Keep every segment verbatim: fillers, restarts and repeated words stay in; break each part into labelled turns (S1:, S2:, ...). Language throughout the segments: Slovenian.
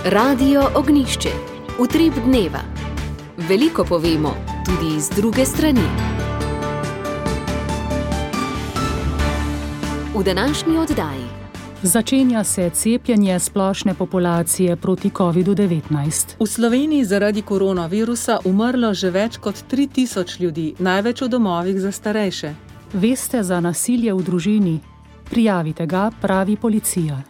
S1: Radio Ognjišče. Utrip dneva. Veliko povemo, tudi iz druge strani. V današnji oddaji.
S2: Začenja se cepljenje splošne populacije proti kovidu devetnajst.
S3: V Sloveniji zaradi koronavirusa umrlo že več kot tri tisoč ljudi, največ v domovih za starejše.
S2: Veste za nasilje v družini? Prijavite ga, pravi policija.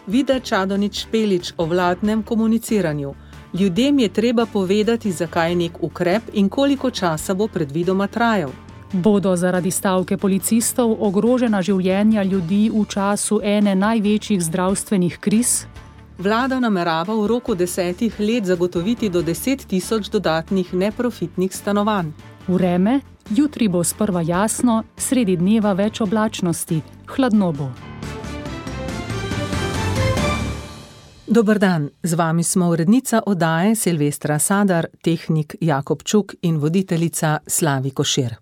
S3: Vida Čadonič Špelič o vladnem komuniciranju. Ljudem je treba povedati, zakaj je nek ukrep in koliko časa bo predvidoma trajal.
S2: Bodo zaradi stavke policistov ogrožena življenja ljudi v času ene največjih zdravstvenih kriz?
S3: Vlada namerava v roku desetih let zagotoviti do deset tisoč dodatnih neprofitnih stanovanj.
S2: Vreme, jutri bo sprva jasno, sredi dneva več oblačnosti, hladno bo.
S3: Dober dan, z vami smo urednica oddaje Silvestra Sadar, tehnik Jakob Čuk in voditeljica Slavi Košir.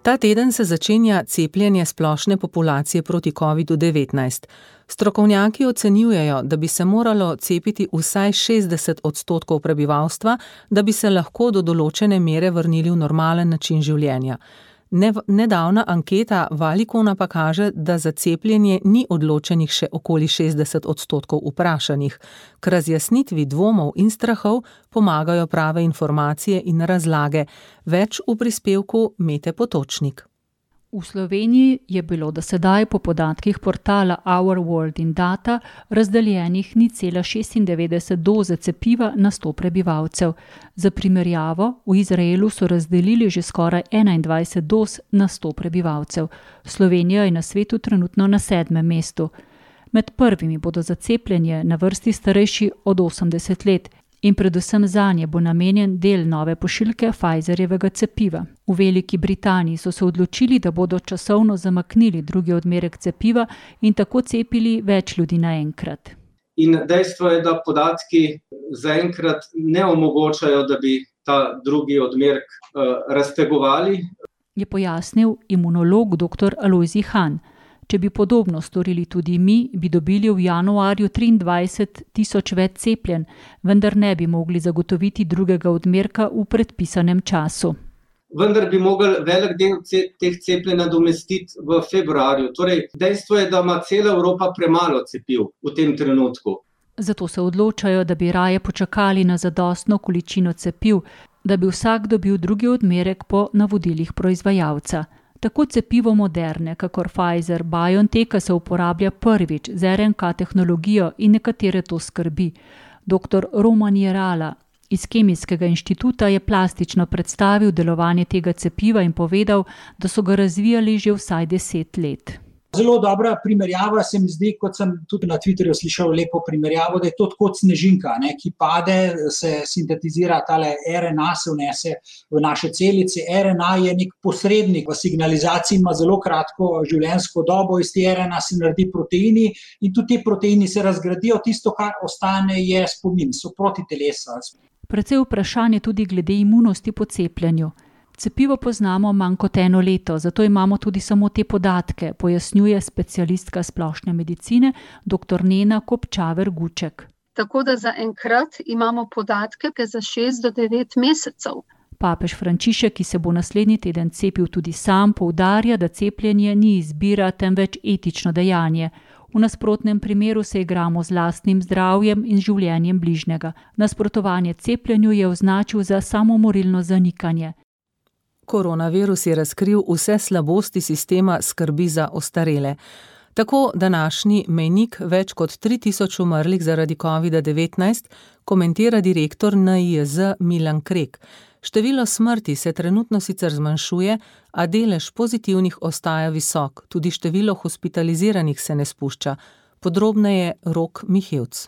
S3: Ta teden se začenja cepljenje splošne populacije proti kovidu devetnajst. Strokovnjaki ocenjujejo, da bi se moralo cepiti vsaj šestdeset odstotkov prebivalstva, da bi se lahko do določene mere vrnili v normalen način življenja. Nedavna anketa Valicona pa kaže, da za cepljenje ni odločenih še okoli šestdeset odstotkov vprašanih. K razjasnitvi dvomov in strahov pomagajo prave informacije in razlage. Več v prispevku Mete Potočnik.
S4: V Sloveniji je bilo do sedaj po podatkih portala Our World in Data razdeljenih nič cela šestindevetdeset doze cepiva na sto prebivalcev. Za primerjavo, v Izraelu so razdelili že skoraj enaindvajset doz na sto prebivalcev. Slovenija je na svetu trenutno na sedmem mestu. Med prvimi bodo za cepljenje na vrsti starejši od osemdeset let. In predvsem zanje bo namenjen del nove pošiljke Pfizerjevega cepiva. V Veliki Britaniji so se odločili, da bodo časovno zamaknili drugi odmerek cepiva in tako cepili več ljudi naenkrat.
S5: In dejstvo je, da podatki zaenkrat ne omogočajo, da bi ta drugi odmerek uh, raztegovali.
S4: Je pojasnil imunolog doktor Alojzij Han. Če bi podobno storili tudi mi, bi dobili v januarju triindvajset tisoč več cepljen, vendar ne bi mogli zagotoviti drugega odmerka v predpisanem času.
S5: Vendar bi mogli velik del teh cepljenj nadomestiti v februarju. Torej, dejstvo je, da ima cela Evropa premalo cepiv v tem trenutku.
S4: Zato se odločajo, da bi raje počakali na zadostno količino cepiv, da bi vsak dobil drugi odmerek po navodilih proizvajalca. Tako cepivo Moderne, kakor Pfizer, BioNTecha se uporablja prvič z er en ka tehnologijo in nekatere to skrbi. Doktor Roman Jerala iz Kemijskega inštituta je plastično predstavil delovanje tega cepiva in povedal, da so ga razvijali že vsaj deset let.
S6: Zelo dobra primerjava se mi zdi, kot sem tudi na Twitterju slišal lepo primerjavo, da je to kot snežinka, ne, ki pade, se sintetizira, tale er en a se vnese v naše celice. er en a je nek posrednik v signalizaciji, ima zelo kratko življenjsko dobo, iz te er en a se naredi proteini in tudi ti proteini se razgradijo, tisto, kar ostane, je spomin, so protitelesa.
S4: Precej vprašanje tudi glede imunosti po cepljenju. Cepivo poznamo manj kot eno leto, zato imamo tudi samo te podatke, pojasnjuje specialistka splošne medicine doktor Nena Kopčaver Guček.
S7: Tako da zaenkrat imamo podatke za šest do devet mesecev.
S4: Papež Frančišek, ki se bo naslednji teden cepil tudi sam, poudarja, da cepljenje ni izbira, temveč etično dejanje. V nasprotnem primeru se igramo z lastnim zdravjem in življenjem bližnjega. Nasprotovanje cepljenju je označil za samomorilno zanikanje.
S3: Koronavirus je razkril vse slabosti sistema skrbi za ostarele. Tako današnji mejnik več kot tri tisoč umrlih zaradi kovida devetnajst komentira direktor en i jez Milan Krek. Število smrti se trenutno sicer zmanjšuje, a delež pozitivnih ostaja visok, tudi število hospitaliziranih se ne spušča. Podrobneje Rok Mihevc.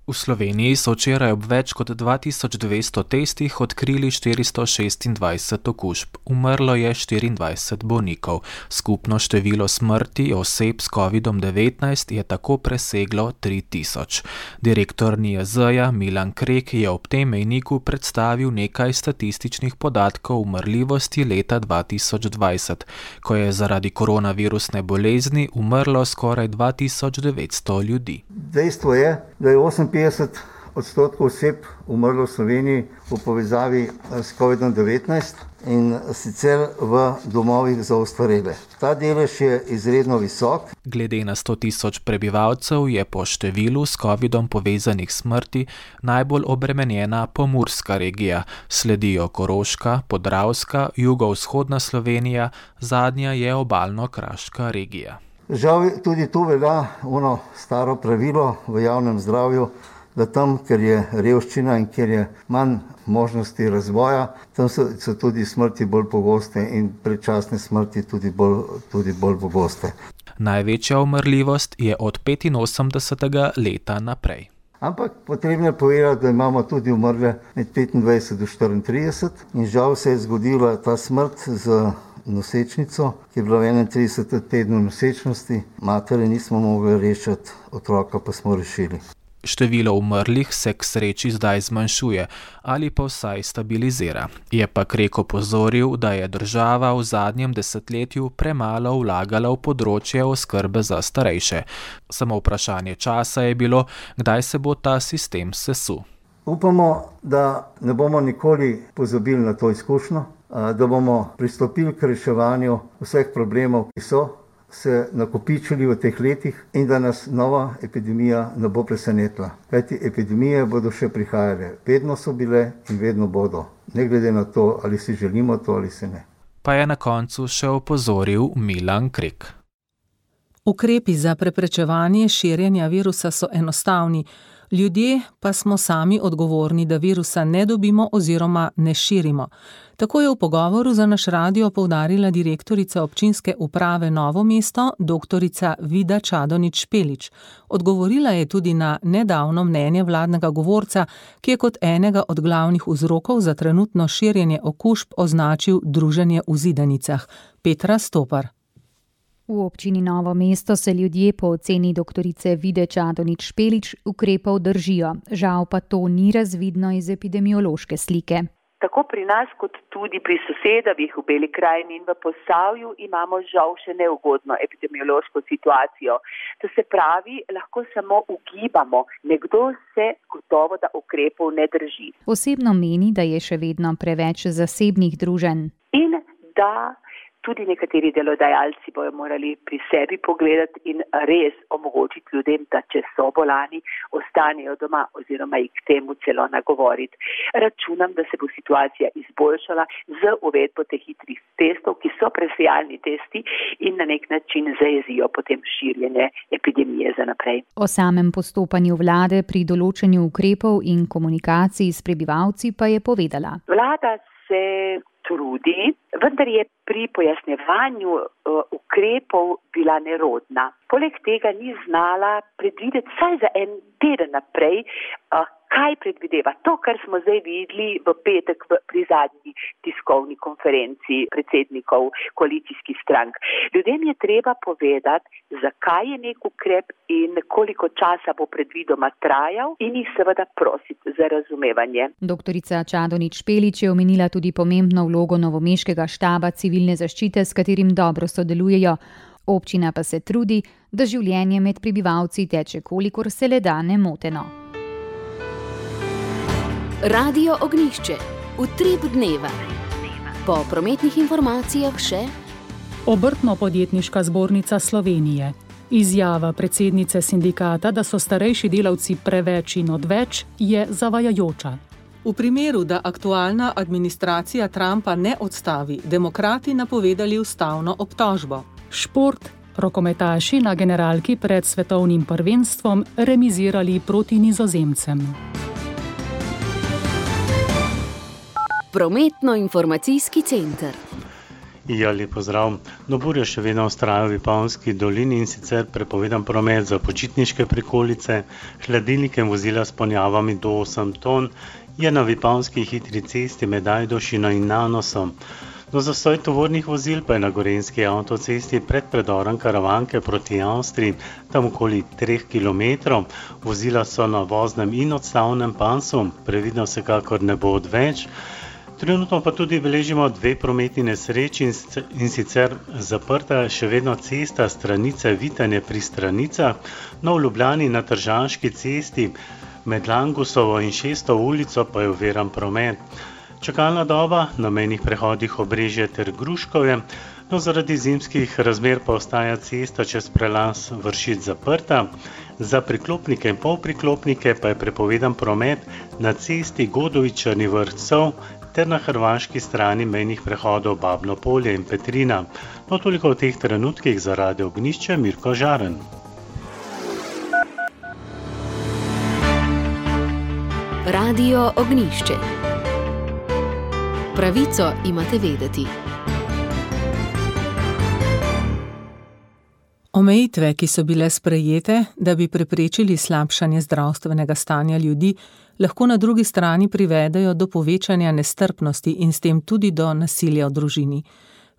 S8: V Sloveniji so včeraj ob več kot dva tisoč dvesto testih odkrili štiristo šestindvajset okužb. Umrlo je štiriindvajset bolnikov. Skupno število smrti oseb s kovidom devetnajst je tako preseglo tri tisoč. Direktor N I J Z-ja Milan Krek je ob tem mejniku predstavil nekaj statističnih podatkov umrljivosti leta dva tisoč dvajset, ko je zaradi koronavirusne bolezni umrlo skoraj dva tisoč devetsto ljudi.
S9: Dejstvo je, da je oseminpetdeset odstotkov oseb umrlo v Sloveniji v povezavi s kovidom devetnajst in sicer v domovih za ostarele. Ta delež je izredno visok.
S8: Glede na sto tisoč prebivalcev je po številu s covidom povezanih smrti najbolj obremenjena Pomurska regija, sledijo Koroška, Podravska, jugovzhodna Slovenija, zadnja je Obalno-kraška regija.
S9: Žal tudi tu velja ono staro pravilo v javnem zdravju, da tam, ker je revščina in ker je manj možnosti razvoja, tam so, so tudi smrti bolj pogoste in predčasne smrti tudi bolj, tudi bolj pogoste.
S8: Največja umrljivost je od petinosemdesetega leta naprej.
S9: Ampak potrebno je povedati, da imamo tudi umrle med petindvajset do štiriintrideset in žal se je zgodila ta smrt z nosečnico, ki je bila v enaintridesetem tednu nosečnosti. Matere nismo mogli rešiti, otroka pa smo rešili.
S8: Število umrlih se k sreči zdaj zmanjšuje ali pa vsaj stabilizira. Je pa Krek opozoril, da je država v zadnjem desetletju premalo vlagala v področje oskrbe za starejše. Samo vprašanje časa je bilo, kdaj se bo ta sistem sesul.
S9: Upamo, da ne bomo nikoli pozabili na to izkušnjo, da bomo pristopili k reševanju vseh problemov, ki so se nakopičili v teh letih in da nas nova epidemija ne bo presenetila. Kajti epidemije bodo še prihajale. Vedno so bile in vedno bodo. Ne glede na to, ali si želimo to ali se ne.
S8: Pa je na koncu še opozoril Milan Krek.
S3: Ukrepi za preprečevanje širjenja virusa so enostavni. Ljudje pa smo sami odgovorni, da virusa ne dobimo oziroma ne širimo. Tako je v pogovoru za naš radio poudarila direktorica občinske uprave Novo mesto, doktorica Vida Čadonič Špelič. Odgovorila je tudi na nedavno mnenje vladnega govorca, ki je kot enega od glavnih vzrokov za trenutno širjenje okužb označil druženje v zidanicah. Petra Stopar.
S10: V občini Novo mesto se ljudje po oceni doktorice Vide Čadonič Špelič ukrepov držijo. Žal pa to ni razvidno iz epidemiološke slike.
S11: Tako pri nas kot tudi pri sosedovih v Beli krajini in v Posavju imamo žal še neugodno epidemiološko situacijo. To se pravi, lahko samo ugibamo, nekdo se gotovo da ukrepov ne drži.
S10: Osebno meni, da je še vedno preveč zasebnih druženj.
S11: In da tudi nekateri delodajalci bojo morali pri sebi pogledati in res omogočiti ljudem, da če so bolani, ostanejo doma oziroma jih k temu celo nagovoriti. Računam, da se bo situacija izboljšala z uvedbo teh hitrih testov, ki so presejalni testi in na nek način zajezijo potem širjenje epidemije za naprej.
S10: O samem postopanju vlade pri določanju ukrepov in komunikaciji s prebivalci pa je povedala.
S11: Vlada se trudi, vendar je pri pojasnjevanju uh, ukrepov bila nerodna. Poleg tega ni znala predvideti vsaj za en teden naprej, uh, kaj predvideva. To, kar smo zdaj videli v petek v, pri zadnji tiskovni konferenci predsednikov koalicijskih strank. Ljudem je treba povedati, zakaj je nek ukrep in koliko časa bo predvidoma trajal in jih seveda prositi za razumevanje.
S10: Doktorica Čadonič Špelič je omenila tudi pomembno vlogo novomeškega štaba civilne zaščite, s katerim dobro sodelujejo. Občina pa se trudi, da življenje med prebivalci teče kolikor se le da nemoteno.
S1: Radio Ognjišče. Utrip dneva. Po prometnih informacijah še
S2: Obrtno-podjetniška zbornica Slovenije. Izjava predsednice sindikata, da so starejši delavci preveč in odveč, je zavajajoča.
S3: V primeru, da aktualna administracija Trumpa ne odstavi, demokrati napovedali ustavno obtožbo.
S2: Šport. Rokometaši na generalki pred svetovnim prvenstvom remizirali proti Nizozemcem.
S1: Prometno-informacijski center.
S12: Ja, lep pozdrav. No, burja še vedno vztraja v Vipavski dolini in sicer prepovedan promet za počitniške prikolice, hladilnike in vozila s ponjavami do osem ton je na Vipavski hitri cesti med Ajdovščino in Nanosom. No, zastoj tovornih vozil pa je na gorenjski avtocesti pred predorom Karavanke proti Avstriji, tam okoli treh kilometrov. Vozila so na voznem in odstavnem pasu, previdno vsekakor ne bo odveč. Trenutno pa tudi beležimo dve prometni nesreči in sicer zaprta še vedno cesta Stranice Vitanje pri Stranicah, no v Ljubljani na Tržaški cesti med Langusovo in Šesto ulico pa je oviran promet. Čakalna doba na mejnih prehodih Obrežje ter Gruškovje, no zaradi zimskih razmer pa ostaja cesta čez prelaz Vršič zaprta. Za priklopnike in polpriklopnike pa je prepovedan promet na cesti Godovič-Črni Vrh ter na hrvaški strani mejnih prehodov Babno Polje in Petrina. No, toliko v teh trenutkih za Radio Ognjišče, Mirko Žaren.
S1: Radio Ognjišče. Pravico imate vedeti.
S3: Omejitve, ki so bile sprejete, da bi preprečili slabšanje zdravstvenega stanja ljudi, lahko na drugi strani privedejo do povečanja nestrpnosti in s tem tudi do nasilja v družini.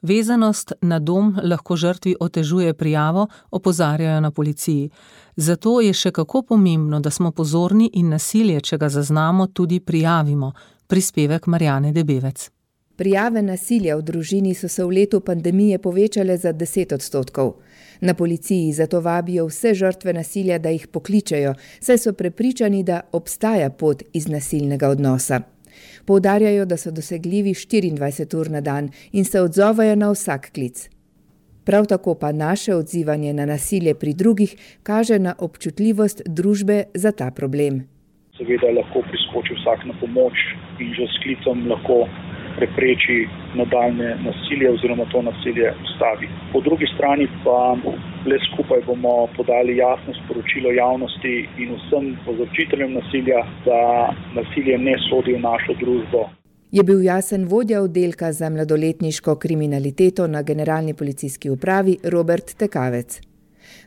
S3: Vezanost na dom lahko žrtvi otežuje prijavo, opozarjajo na policiji. Zato je še kako pomembno, da smo pozorni in nasilje, če ga zaznamo, tudi prijavimo. Prispevek Marjane Debevec.
S13: Prijave nasilja v družini so se v letu pandemije povečale za deset odstotkov. Na policiji zato vabijo vse žrtve nasilja, da jih pokličejo, saj so prepričani, da obstaja pot iz nasilnega odnosa. Poudarjajo, da so dosegljivi štiriindvajset ur na dan in se odzovajo na vsak klic. Prav tako pa naše odzivanje na nasilje pri drugih kaže na občutljivost družbe za ta problem.
S14: Seveda lahko priskoči vsak na pomoč in že s klicem lahko prepreči nadaljne nasilje oziroma to nasilje ustavi. Po drugi strani pa le skupaj bomo podali jasno sporočilo javnosti in vsem povzročiteljem nasilja, da nasilje ne sodi v našo družbo.
S13: Je bil jasen vodja oddelka za mladoletniško kriminaliteto na Generalni policijski upravi Robert Tekavec.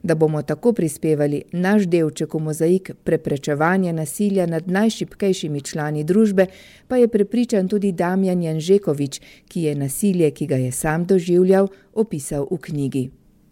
S13: Da bomo tako prispevali naš delček v mozaik preprečevanja nasilja nad najšibkejšimi člani družbe, pa je prepričan tudi Damjan Janžekovič, ki je nasilje, ki ga je sam doživljal, opisal v knjigi.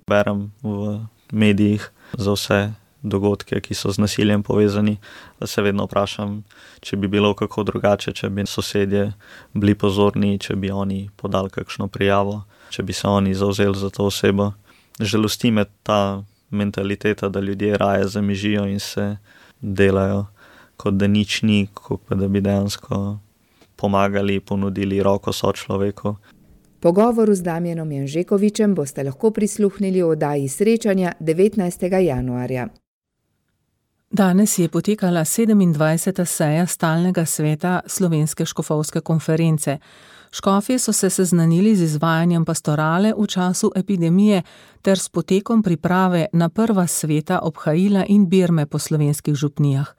S15: Berem v medijih za vse dogodke, ki so z nasiljem povezani, da se vedno vprašam, če bi bilo kako drugače, če bi sosedje bili pozorni, če bi oni podali kakšno prijavo, če bi se oni zavzeli za to osebo. Žalosti me ta mentaliteta, da ljudje raje zamižijo in se delajo, kot da nič ni, kot pa da bi dejansko pomagali, ponudili roko sočloveku.
S13: Pogovoru z Damjanom Janžekovičem boste lahko prisluhnili v oddaji srečanja devetnajstega januarja.
S3: Danes je potekala sedemindvajseta seja stalnega sveta Slovenske škofovske konference. Škofje so se seznanili z izvajanjem pastorale v času epidemije ter s potekom priprave na prva sveta obhajila in birme po slovenskih župnijah.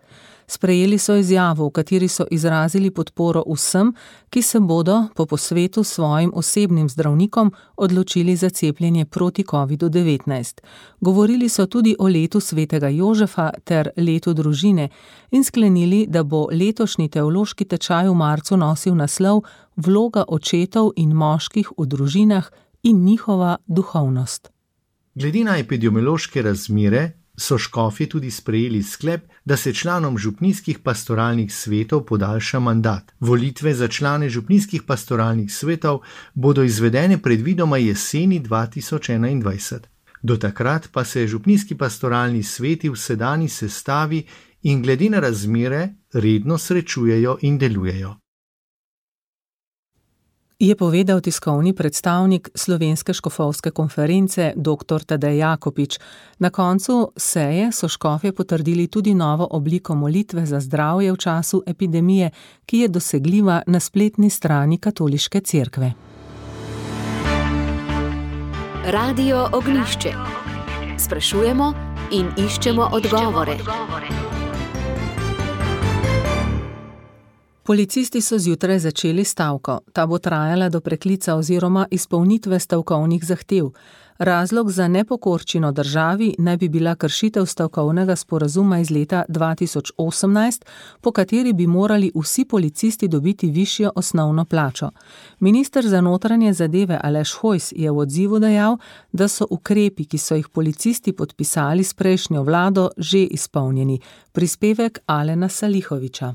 S3: Sprejeli so izjavo, v kateri so izrazili podporo vsem, ki se bodo po posvetu svojim osebnim zdravnikom odločili za cepljenje proti kovidu devetnajst. Govorili so tudi o letu svetega Jožefa ter letu družine in sklenili, da bo letošnji teološki tečaj v marcu nosil naslov Vloga očetov in moških v družinah in njihova duhovnost.
S16: Glede na epidemiološke razmere so škofje tudi sprejeli sklep, da se članom župnijskih pastoralnih svetov podaljša mandat. Volitve za člane župnijskih pastoralnih svetov bodo izvedene predvidoma jeseni dva tisoč enaindvajset. Do takrat pa se župnijski pastoralni sveti v sedanji sestavi in glede na razmere redno srečujejo in delujejo.
S3: Je povedal tiskovni predstavnik Slovenske škofovske konference dr. Tadej Jakopič. Na koncu seje so škofje potrdili tudi novo obliko molitve za zdravje v času epidemije, ki je dosegljiva na spletni strani Katoliške cerkve.
S1: Radio Ognjišče. Sprašujemo in iščemo odgovore.
S3: Policisti so zjutraj začeli stavko. Ta bo trajala do preklica oziroma izpolnitve stavkovnih zahtev. Razlog za nepokorščino državi naj bi bila kršitev stavkovnega sporazuma iz leta dva tisoč osemnajst, po kateri bi morali vsi policisti dobiti višjo osnovno plačo. Minister za notranje zadeve Aleš Hojs je v odzivu dejal, da so ukrepi, ki so jih policisti podpisali s prejšnjo vlado, že izpolnjeni. Prispevek Alena Salihoviča.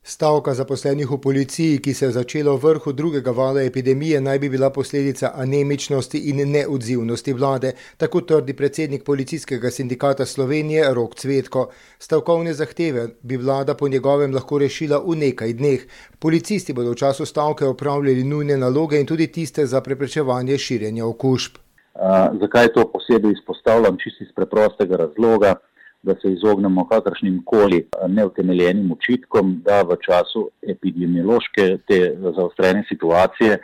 S17: Stavka zaposlenih v policiji, ki se je začela v vrhu drugega vala epidemije, naj bi bila posledica anemičnosti in neodzivnosti vlade, tako trdi predsednik Policijskega sindikata Slovenije Rok Cvetko. Stavkovne zahteve bi vlada po njegovem lahko rešila v nekaj dneh. Policisti bodo v času stavke opravljali nujne naloge in tudi tiste za preprečevanje širjenja okužb.
S18: Uh, zakaj to posebej izpostavljam? Čisto iz preprostega razloga, da se izognemo kakršnim koli neutemeljenim očitkom, da v času epidemiološke te zaostrene situacije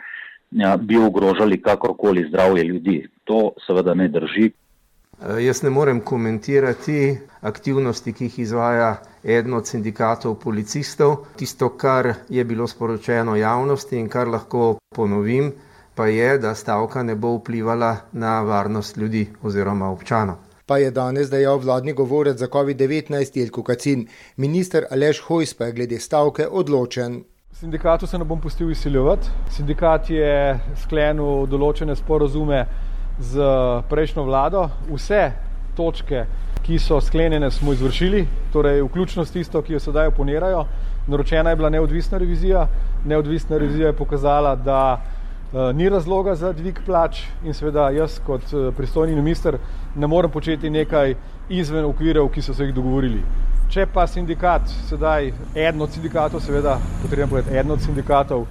S18: bi ogrožali kakorkoli zdravje ljudi. To seveda ne drži.
S19: Jaz ne morem komentirati aktivnosti, ki jih izvaja eden od sindikatov policistov. Tisto, kar je bilo sporočeno javnosti in kar lahko ponovim, pa je, da stavka ne bo vplivala na varnost ljudi oziroma občanov.
S17: Pa je danes dejal vladni govorec za covid devetnajst Jelko Kacin. Minister Aleš Hojs pa je glede stavke odločen.
S20: Sindikatu se ne bom pustil izsiljevati. Sindikat je sklenil določene sporazume z prejšnjo vlado. Vse točke, ki so sklenjene, smo izvršili, torej vključno s tisto, ki jo sedaj oponirajo. Naročena je bila neodvisna revizija. Neodvisna revizija je pokazala, da ni razloga za dvig plač in seveda jaz kot pristojni minister ne morem početi nekaj izven okvirov, ki so se jih dogovorili. Če pa sindikat, sedaj eden od sindikatov, seveda potrebno povedati eden od sindikatov,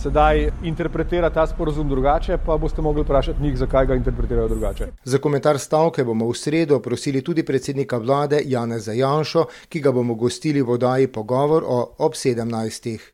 S20: sedaj interpretira ta sporazum drugače, pa boste mogli vprašati njih, zakaj ga interpretirajo drugače.
S17: Za komentar stavke bomo v sredo prosili tudi predsednika vlade Janeza Janšo, ki ga bomo gostili v oddaji Pogovor o ob sedemnajstih.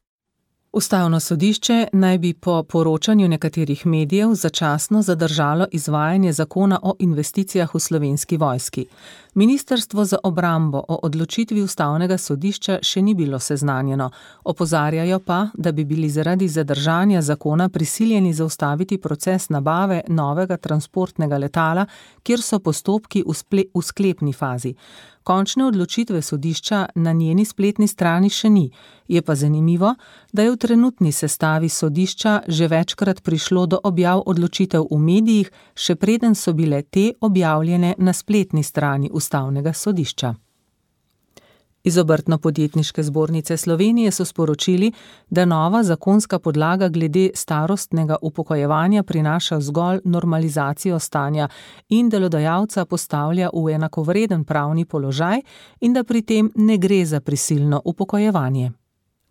S3: Ustavno sodišče naj bi po poročanju nekaterih medijev začasno zadržalo izvajanje zakona o investicijah v Slovenski vojski. Ministrstvo za obrambo o odločitvi ustavnega sodišča še ni bilo seznanjeno. Opozarjajo pa, da bi bili zaradi zadržanja zakona prisiljeni zaustaviti proces nabave novega transportnega letala, kjer so postopki v, sple- v sklepni fazi. Končne odločitve sodišča na njeni spletni strani še ni. Je pa zanimivo, da je v trenutni sestavi sodišča že večkrat prišlo do objav odločitev v medijih, še preden so bile te objavljene na spletni strani ustavnega sodišča. Iz Obrtno-podjetniške zbornice Slovenije so sporočili, da nova zakonska podlaga glede starostnega upokojevanja prinaša zgolj normalizacijo stanja in delodajalca postavlja v enakovreden pravni položaj in da pri tem ne gre za prisilno upokojevanje.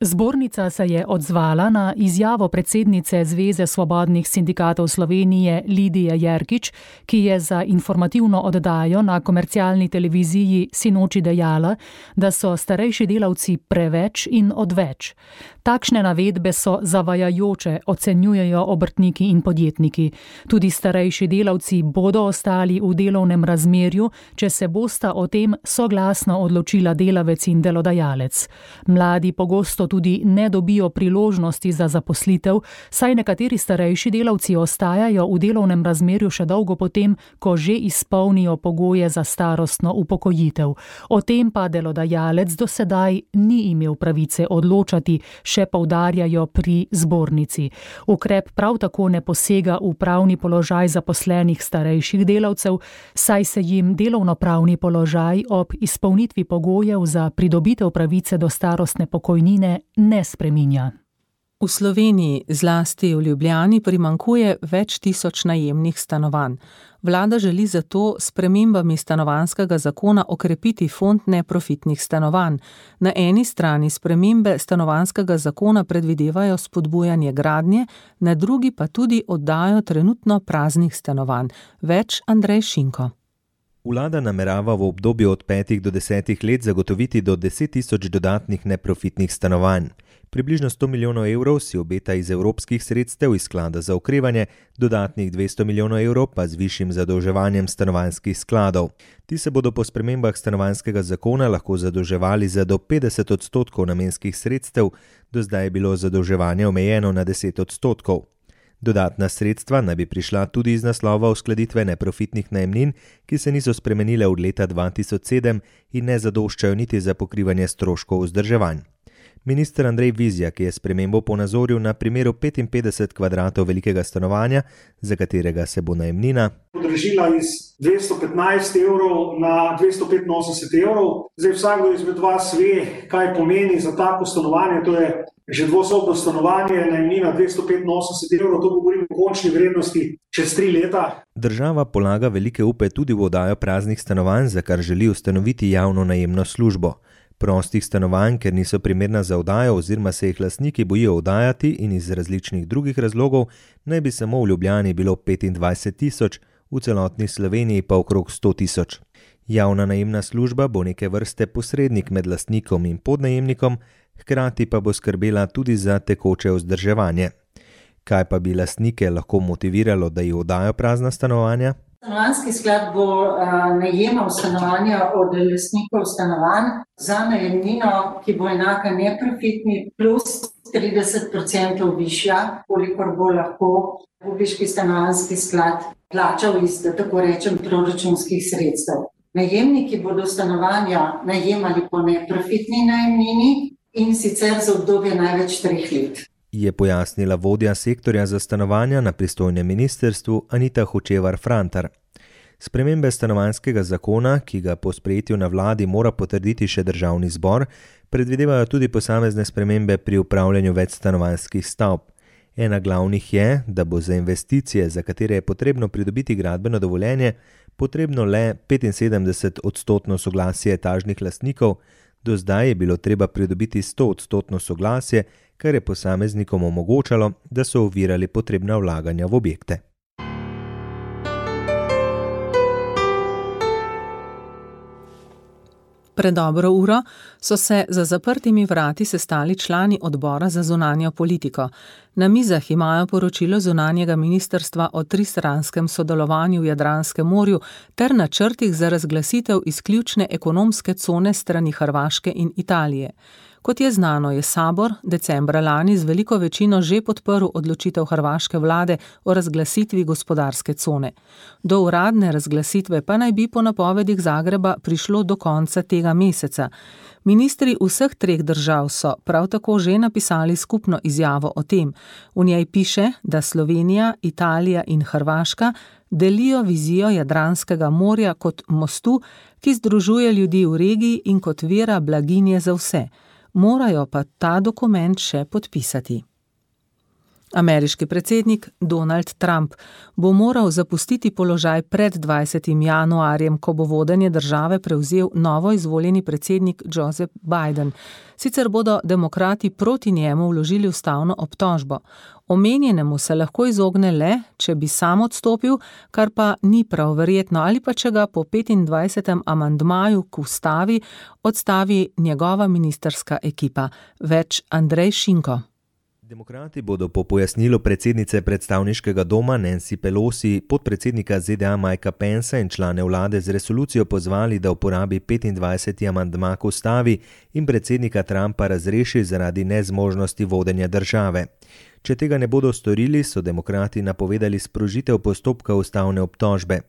S2: Zbornica se je odzvala na izjavo predsednice Zveze svobodnih sindikatov Slovenije Lidije Jerkič, ki je za informativno oddajo na komercialni televiziji sinoči dejala, da so starejši delavci preveč in odveč. Takšne navedbe so zavajajoče, ocenjujejo obrtniki in podjetniki. Tudi starejši delavci bodo ostali v delovnem razmerju, če se bosta o tem soglasno odločila delavec in delodajalec. Mladi pogosto tudi ne dobijo priložnosti za zaposlitev, saj nekateri starejši delavci ostajajo v delovnem razmerju še dolgo potem, ko že izpolnijo pogoje za starostno upokojitev. O tem pa delodajalec do sedaj ni imel pravice odločati, še poudarjajo pri zbornici. Ukrep prav tako ne posega v pravni položaj zaposlenih starejših delavcev, saj se jim delovnopravni položaj ob izpolnitvi pogojev za pridobitev pravice do starostne pokojnine ne spreminja.
S3: V Sloveniji, zlasti v Ljubljani, primanjkuje več tisoč najemnih stanovanj. Vlada želi zato s spremembami stanovanjskega zakona okrepiti fond neprofitnih stanovanj. Na eni strani spremembe stanovanjskega zakona predvidevajo spodbujanje gradnje, na drugi pa tudi oddajo trenutno praznih stanovanj. Več Andrej Šinko.
S21: Vlada namerava v obdobju od petih do desetih let zagotoviti do deset tisoč dodatnih neprofitnih stanovanj. Približno sto milijonov evrov si obeta iz evropskih sredstev iz sklada za okrevanje, dodatnih dvesto milijonov evrov pa z višjim zadolževanjem stanovanjskih skladov. Ti se bodo po spremembah stanovanjskega zakona lahko zadolževali za do petdeset odstotkov namenskih sredstev, do zdaj je bilo zadolževanje omejeno na deset odstotkov. Dodatna sredstva naj bi prišla tudi iz naslova uskladitve neprofitnih najemnin, ki se niso spremenile od leta dva tisoč sedem in ne zadoščajo niti za pokrivanje stroškov vzdrževanj. Minister Andrej Vizjak je spremembo ponazoril na primeru petinpetdeset kvadratov velikega stanovanja, za katerega se bo najemnina
S22: podražila iz dvesto petnajst evrov na dvesto petinosemdeset evrov. Zdaj vsakdo izmed vas ve, kaj pomeni za tako stanovanje, to je že dvosobno stanovanje, najemnina dvesto petinosemdeset evrov, to govorimo o končni vrednosti čez tri leta.
S21: Država polaga velike upe tudi v oddajo praznih stanovanj, za kar želi ustanoviti javno najemno službo. Prostih stanovanj, ker niso primerna za oddajo oziroma se jih lastniki bojijo oddajati in iz različnih drugih razlogov, naj bi samo v Ljubljani bilo petindvajset tisoč, v celotni Sloveniji pa okrog sto tisoč. Javna najemna služba bo neke vrste posrednik med lastnikom in podnajemnikom, hkrati pa bo skrbela tudi za tekoče vzdrževanje. Kaj pa bi lastnike lahko motiviralo, da jih oddajo prazna stanovanja?
S23: Stanovanjski sklad bo uh, najemal stanovanja od lastnikov stanovanj za najemnino, ki bo enaka neprofitni, plus trideset odstotkov višja, kolikor bo lahko Republiški stanovanjski sklad plačal iz, da tako rečem, proračunskih sredstev. Najemniki bodo stanovanja najemali po neprofitni najemnini in sicer za obdobje največ treh let.
S21: Je pojasnila vodja sektorja za stanovanja na pristojnem ministrstvu Anita Hočevar-Frantar. Spremembe stanovanjskega zakona, ki ga po sprejetju na vladi mora potrditi še državni zbor, predvidevajo tudi posamezne spremembe pri upravljanju večstanovanjskih stavb. Ena glavnih je, da bo za investicije, za katere je potrebno pridobiti gradbeno dovoljenje, potrebno le petinsedemdeset odstotno soglasje etažnih lastnikov, do zdaj je bilo treba pridobiti sto odstotno soglasje, kar je posameznikom omogočalo, da so ovirali potrebna vlaganja v objekte.
S3: Pred dobro uro so se za zaprtimi vrati sestali člani odbora za zunanjo politiko. Na mizah imajo poročilo zunanjega ministrstva o tristranskem sodelovanju v Jadranskem morju ter načrtih za razglasitev izključne ekonomske cone strani Hrvaške in Italije. Kot je znano, je Sabor decembra lani z veliko večino že podprl odločitev hrvaške vlade o razglasitvi gospodarske cone. Do uradne razglasitve pa naj bi po napovedih Zagreba prišlo do konca tega meseca. Ministri vseh treh držav so prav tako že napisali skupno izjavo o tem. V njej piše, da Slovenija, Italija in Hrvaška delijo vizijo Jadranskega morja kot mostu, ki združuje ljudi v regiji in kot vira blaginje za vse. Morajo pa ta dokument še podpisati. Ameriški predsednik Donald Trump bo moral zapustiti položaj pred dvajsetim januarjem, ko bo vodenje države prevzel novo izvoljeni predsednik Joseph Biden. Sicer bodo demokrati proti njemu vložili ustavno obtožbo. Omenjenemu se lahko izogne le, če bi sam odstopil, kar pa ni prav verjetno, ali pa če ga po petindvajsetem amandmaju k ustavi odstavi njegova ministrska ekipa. Več Andrej Šinko.
S21: Demokrati bodo po pojasnilu predsednice predstavniškega doma Nancy Pelosi, podpredsednika Z D A Mikea Pensa in člane vlade z resolucijo pozvali, da uporabi petindvajseti amandma k ustavi in predsednika Trumpa razreši zaradi nezmožnosti vodenja države. Če tega ne bodo storili, so demokrati napovedali sprožitev postopka ustavne obtožbe.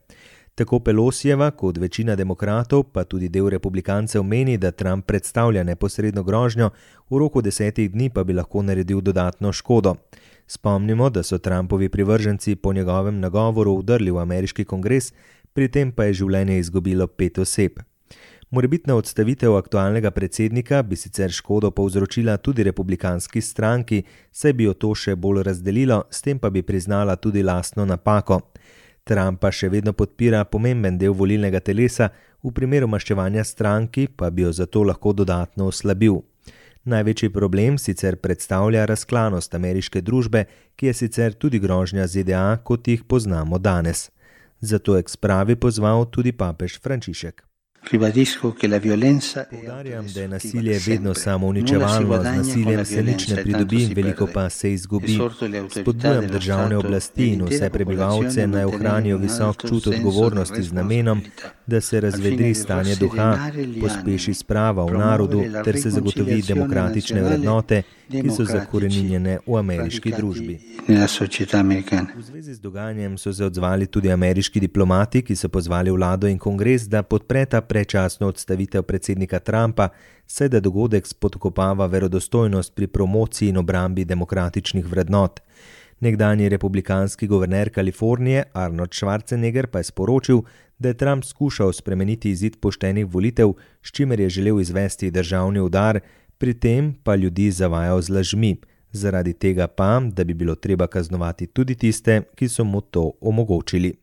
S21: Tako Pelosijeva kot večina demokratov, pa tudi del republikancev meni, da Trump predstavlja neposredno grožnjo, v roku desetih dni pa bi lahko naredil dodatno škodo. Spomnimo, da so Trumpovi privrženci po njegovem nagovoru vdrli v ameriški kongres, pri tem pa je življenje izgubilo pet oseb. Morebitna odstavitev aktualnega predsednika bi sicer škodo povzročila tudi republikanski stranki, saj bi jo to še bolj razdelilo, s tem pa bi priznala tudi lastno napako. Trumpa še vedno podpira pomemben del volilnega telesa, v primeru maščevanja stranki pa bi jo zato lahko dodatno oslabil. Največji problem sicer predstavlja razklanost ameriške družbe, ki je sicer tudi grožnja Z D A, kot jih poznamo danes. Zato je k spravi pozval tudi papež Frančišek. Poudarjam, da je nasilje vedno samouničevalno, z nasiljem se nič ne pridobi, veliko pa se izgubi. Spodbujam državne oblasti in vse prebivalce naj ohranijo visok čut odgovornosti z namenom, da se razvedri stanje duha, pospeši sprava v narodu ter se zagotovi demokratične vrednote, ki so zakoreninjene v ameriški družbi. V zvezi z dogajanjem so se odzvali tudi ameriški diplomati, ki so pozvali vlado in kongres, da podpreta predčasno odstavitev predsednika Trumpa, saj da dogodek spodkopava verodostojnost pri promociji in obrambi demokratičnih vrednot. Nekdanji republikanski guverner Kalifornije Arnold Schwarzenegger pa je sporočil, da je Trump skušal spremeniti izid poštenih volitev, s čimer je želel izvesti državni udar, pri tem pa ljudi zavajal z lažmi. Zaradi tega pa, da bi bilo treba kaznovati tudi tiste, ki so mu to omogočili.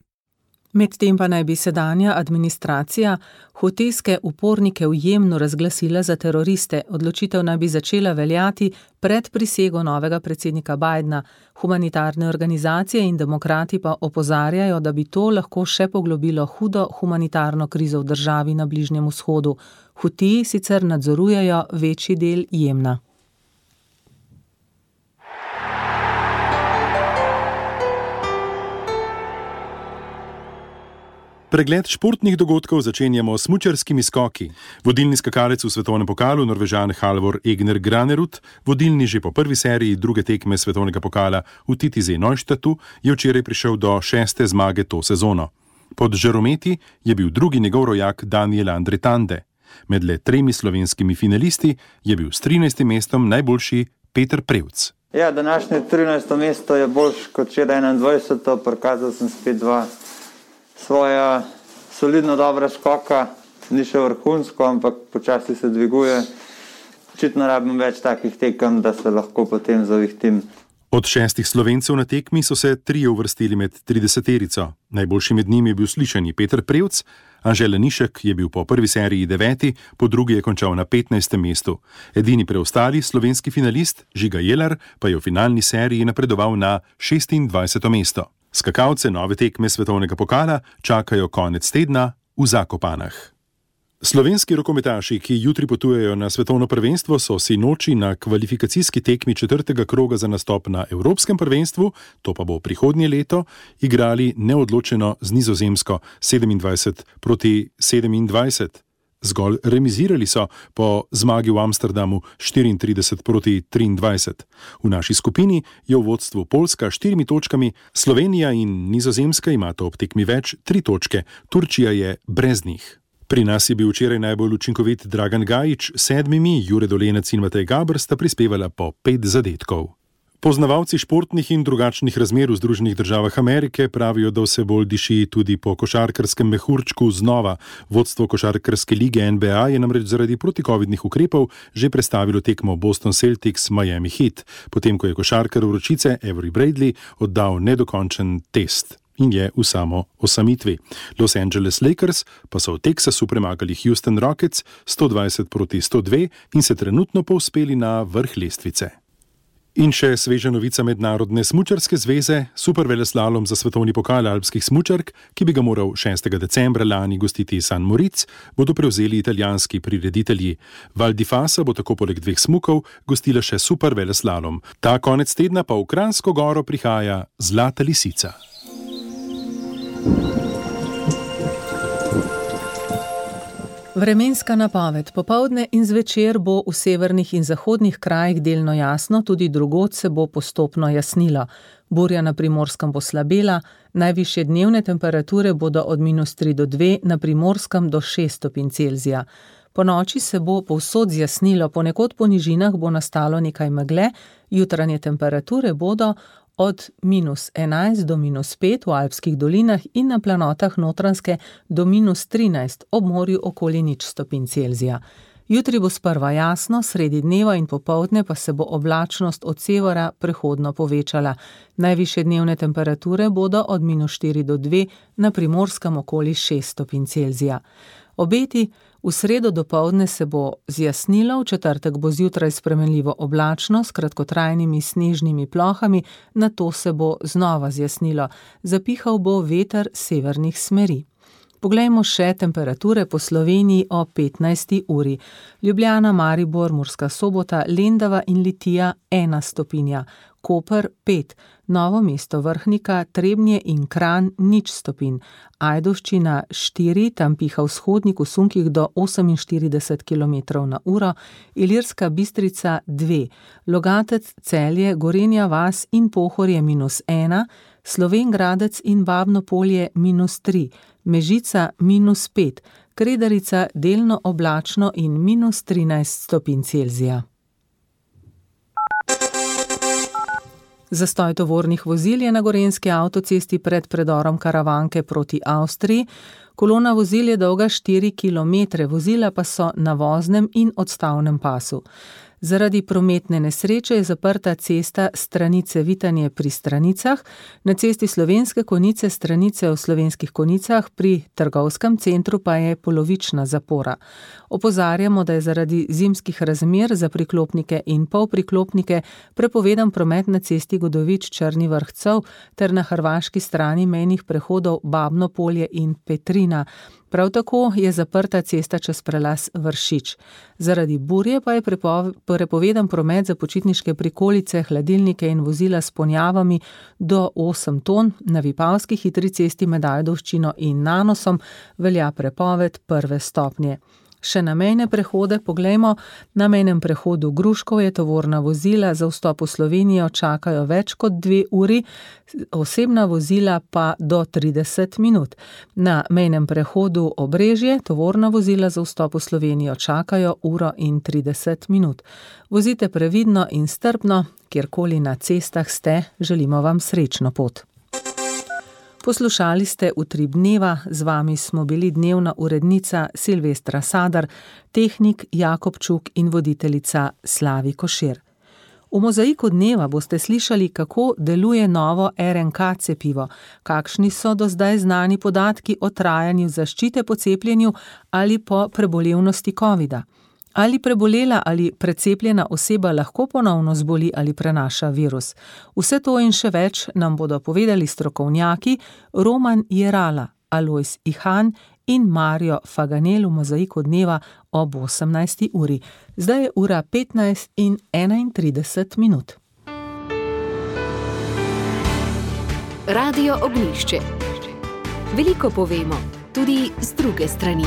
S3: Medtem pa naj bi sedanja administracija hutijske upornike v Jemnu razglasila za teroriste. Odločitev naj bi začela veljati pred prisego novega predsednika Bidena. Humanitarne organizacije in demokrati pa opozarjajo, da bi to lahko še poglobilo hudo humanitarno krizo v državi na Bližnjem vzhodu. Hutiji sicer nadzorujejo večji del Jemna.
S5: Pregled športnih dogodkov začenjamo s smučarskimi skoki. Vodilni skakalec v svetovnem pokalu, Norvežan Halvor Egner Granerud, vodilni že po prvi seriji druge tekme svetovnega pokala v Titisee-Neustadtu, je včeraj prišel do šeste zmage to sezono. Pod žarometi je bil drugi njegov rojak Daniel Andretande. Med le tremi slovenskimi finalisti je bil s trinajstim mestom najboljši Peter Prevc.
S6: Ja, današnje trinajsto mesto je boljše kot včeraj enaindvajseto, prikazal sem spet dva svoja solidno dobra skoka, ni še vrhunsko, ampak počasi se dviguje. Očitno rabim več takih tekem, da se lahko potem zavihtim.
S5: Od šestih Slovencev na tekmi so se trije uvrstili med trideseterico. Najboljši med njimi je bil slišani Peter Prevc, Anže Lanišek je bil po prvi seriji deveti, po drugi je končal na petnajstem mestu. Edini preostali slovenski finalist, Žiga Jelar, pa je v finalni seriji napredoval na šestindvajseto mesto. Skakalce nove tekme svetovnega pokala čakajo konec tedna v Zakopanah. Slovenski rokometaši, ki jutri potujejo na svetovno prvenstvo, so sinoči na kvalifikacijski tekmi četrtega kroga za nastop na Evropskem prvenstvu, to pa bo prihodnje leto, igrali neodločeno z Nizozemsko sedemindvajset proti sedemindvajset. Zgolj remizirali so po zmagi v Amsterdamu štiriintrideset proti triindvajset. V naši skupini je v vodstvu Poljska s štirimi točkami, Slovenija in Nizozemska imata ob tekmi več tri točke, Turčija je brez njih. Pri nas je bil včeraj najbolj učinkovit Dragan Gajić s sedmimi, Jure Dolenec in Matej Gaber sta prispevala po pet zadetkov. Poznavalci športnih in drugačnih razmer v Združenih državah Amerike pravijo, da vse bolj diši tudi po košarkarskem mehurčku znova. Vodstvo košarkarske lige N B A je namreč zaradi protikovidnih ukrepov že prestavilo tekmo Boston Celtics Miami Heat, potem ko je košarkar vročice Avery Bradley oddal nedokončen test in je v samo osamitvi. Los Angeles Lakers pa so v Teksasu premagali Houston Rockets sto dvajset proti sto dve in se trenutno povzpeli na vrh lestvice. In še sveža novica Mednarodne smučarske zveze, superveleslalom za svetovni pokal alpskih smučark, ki bi ga moral šestega decembra lani gostiti San Moritz, bodo prevzeli italijanski prireditelji. Val di Fasa bo tako poleg dveh smukov gostila še superveleslalom. Ta konec tedna pa v Kranjsko Goro prihaja Zlata lisica.
S3: Vremenska napoved. Popoldne in zvečer bo v severnih in zahodnih krajih delno jasno, tudi drugod se bo postopno jasnilo. Burja na Primorskem bo slabela, najvišje dnevne temperature bodo od minus tri do dve, na Primorskem do šest stopinj Celzija. Po noči se bo povsod zjasnilo, ponekod po nižinah bo nastalo nekaj megle, jutranje temperature bodo od minus enajst do minus pet v alpskih dolinah in na planotah Notranjske do minus trinajst, ob morju okoli nič stopinj Celzija. Jutri bo sprva jasno, sredi dneva in popoldne pa se bo oblačnost od severa prehodno povečala. Najvišje dnevne temperature bodo od minus štiri do dve, na Primorskem okoli šest stopinj Celzija. Obeti V sredo dopoldne se bo zjasnilo, v četrtek bo zjutraj spremenljivo oblačno s kratkotrajnimi snežnimi plohami, nato se bo znova zjasnilo. Zapihal bo veter severnih smeri. Poglejmo še temperature po Sloveniji o petnajsti uri. Ljubljana, Maribor, Murska Sobota, Lendava in Litija ena stopinja, Koper pet, Novo mesto, Vrhnika, Trebnje in Kranj nič stopinj, Ajdovščina štiri, tam piha vzhodnik v sunkih do oseminštirideset kilometrov na uro, Ilirska Bistrica dve, Logatec, Celje, Gorenja vas in Pohorje minus ena, Slovenj Gradec in Babno Polje minus tri, Mežica minus pet, Kredarica delno oblačno in minus trinajst stopinj Celzija. Zastoj tovornih vozil je na gorenjski avtocesti pred predorom Karavanke proti Avstriji. Kolona vozil je dolga štiri kilometre, vozila pa so na voznem in odstavnem pasu. Zaradi prometne nesreče je zaprta cesta Stranice Vitanje pri Stranicah, na cesti Slovenske Konjice Stranice v Slovenskih Konjicah pri trgovskem centru pa je polovična zapora. Opozarjamo, da je zaradi zimskih razmer za priklopnike in polpriklopnike prepovedan promet na cesti Godovič Črni Vrh-Cov ter na hrvaški strani mejnih prehodov Babno Polje in Petrina. Prav tako je zaprta cesta čez prelaz Vršič. Zaradi burje pa je prepovedan promet za počitniške prikolice, hladilnike in vozila s ponjavami do osem ton, na Vipavski hitri cesti med Ajdovščino in Nanosom velja prepoved prve stopnje. Še na mejne prehode poglejmo. Na mejnem prehodu Gruškov je tovorna vozila za vstop v Slovenijo čakajo več kot dve uri, osebna vozila pa do trideset minut. Na mejnem prehodu Obrežje tovorna vozila za vstop v Slovenijo čakajo uro in trideset minut. Vozite previdno in strpno, kjerkoli na cestah ste, želimo vam srečno pot. Poslušali ste Utrip dneva, z vami smo bili dnevna urednica Silvestra Sadar, tehnik Jakob Čuk in voditeljica Slavi Košir. V Mozaiku dneva boste slišali, kako deluje novo er en ka cepivo, kakšni so do zdaj znani podatki o trajanju zaščite po cepljenju ali po prebolevnosti covida. Ali prebolela ali precepljena oseba lahko ponovno zboli ali prenaša virus? Vse to in še več nam bodo povedali strokovnjaki Roman Jerala, Alojz Ihan in Mario Faganel v Mozaiku dneva ob osemnajsti uri. Zdaj je ura petnajst in enaintrideset minut.
S1: Radio Ognjišče. Veliko povemo, tudi z druge strani.